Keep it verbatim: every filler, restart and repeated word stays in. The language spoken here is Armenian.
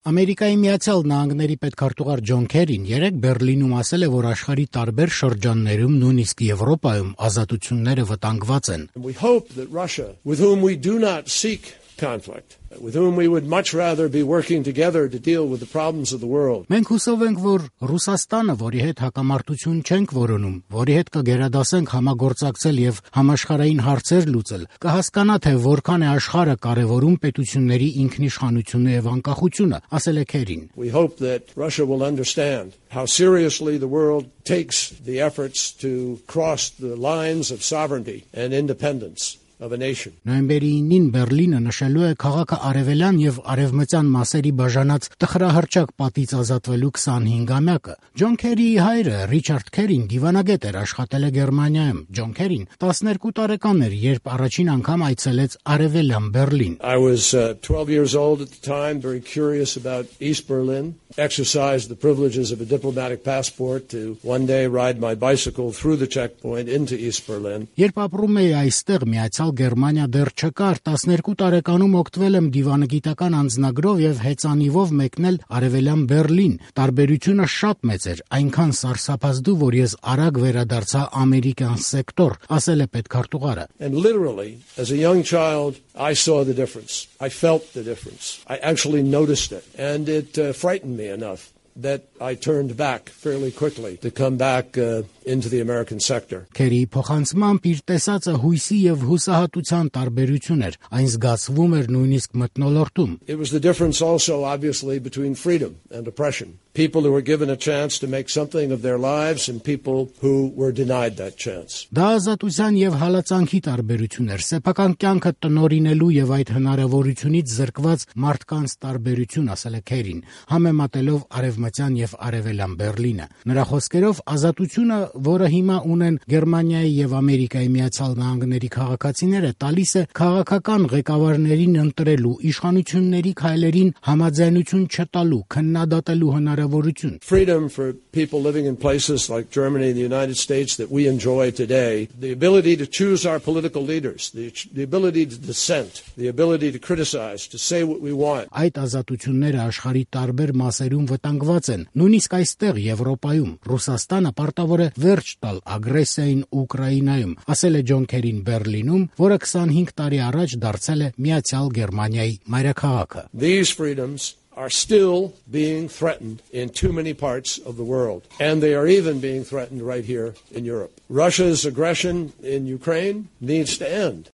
Ամերիկայի Միացյալ Նահանգների պետքարտուղար Ջոն Քերին երեկ Բեռլինում ասել է, որ աշխարհի տարբեր շրջաններում, նույնիսկ Եվրոպայում, ազատությունները վտանգված են. We hope that Russia, with whom we do not seek conflict, with whom we would much rather be working together to deal with the problems of the world. Մենք հուսով ենք, որ Ռուսաստանը, որի հետ հակամարտություն չենք որոնում, որի հետ կգերադասենք համագործակցել եւ համաշխարհային հարցեր լուծել, կհասկանա, թե որքան է աշխարհը կարևորում պետությունների ինքնիշխանությունը եւ անկախությունը, ասել է Քերին. We hope that Russia will understand how seriously the world takes the efforts to cross the lines of sovereignty and independence of a nation. Նոյեմբերի ինին Բեռլինը նշելու է քաղաքը արևելյան եւ արևմտյան մասերի բաժանած տխրահռչակ պատից ազատվելու քսանհինգամյակը։ Ջոն Քերիի հայրը Ռիչարդ Քերին դիվանագետ էր, աշխատել է Գերմանիայում։ Ջոն Քերին տասներկու տարեկան էր, երբ առաջին անգամ այցելեց արևելյան Բեռլին։ I was uh, twelve years old at the time, very curious about East Berlin, exercised the privileges of a diplomatic passport to one day ride my bicycle through the checkpoint into East Berlin. Երբ ապրում էի այստեղ, Միացյալ Գերմանիա դեռ չկար, տասներկու տարեկանում օգտվել եմ դիվանագիտական անձնագրով եւ հեծանիվով մեկնել արևելյան Բեռլին։ Տարբերությունը շատ մեծ էր, այնքան սարսափազդու, որ ես արագ վերադարձա ամերիկյան սեկտոր, ասել է պետքարտուղարը։ And literally, as a young child, I saw the difference. I felt the difference. I actually noticed it, and it uh, frightened me enough that I turned back fairly quickly to come back uh, into the American sector. Քերի փոխանցմամբ իր տեսածը հույսի եւ հուսահատության տարբերություն էր, այն զգացվում էր նույնիսկ մթնոլորտում։ It was the difference also, obviously, between freedom and oppression. People who were given a chance to make something of their lives and people who were denied that chance. Դա ազատության եւ հալածանքի տարբերություն էր, սեփական կյանքը տնօրինելու եւ այդ հնարավորությունից զրկված մարդկանց տարբերություն, ասել է Քերին, համեմատելով արևմտյան եւ արևելյան Բեռլինը։ Նրա խոսքերով ազատությունը, որը հիմա ունեն Գերմանիայի եւ Ամերիկայի Միացյալ Նահանգների քաղաքացիները, տալիս է քաղաքական ղեկավարներին ընտրելու, իշխանությունների քայլերին համաձայնություն չտալու, քննադատելու հնարավորություն. Freedom for people living in places like Germany and the United States that we enjoy today, the ability to choose our political leaders, the, the ability to dissent, the ability to criticize, to say what we want. Այդ ազատությունները աշխարհի տարբեր մասերում վտանգված են, նույնիսկ այստեղ Եվրոպայում։ Ռուսաստանը պարտավոր է վերջ տալ ագրեսիային Ուկրաինայում, ասել է Ջոն Քերին Բեռլինում, որը քսանհինգ տարի առաջ դարձել է Միացյալ Գերմանիայի մայրաքաղաքը։ These freedoms are still being threatened in too many parts of the world, and they are even being threatened right here in Europe. Russia's aggression in Ukraine needs to end.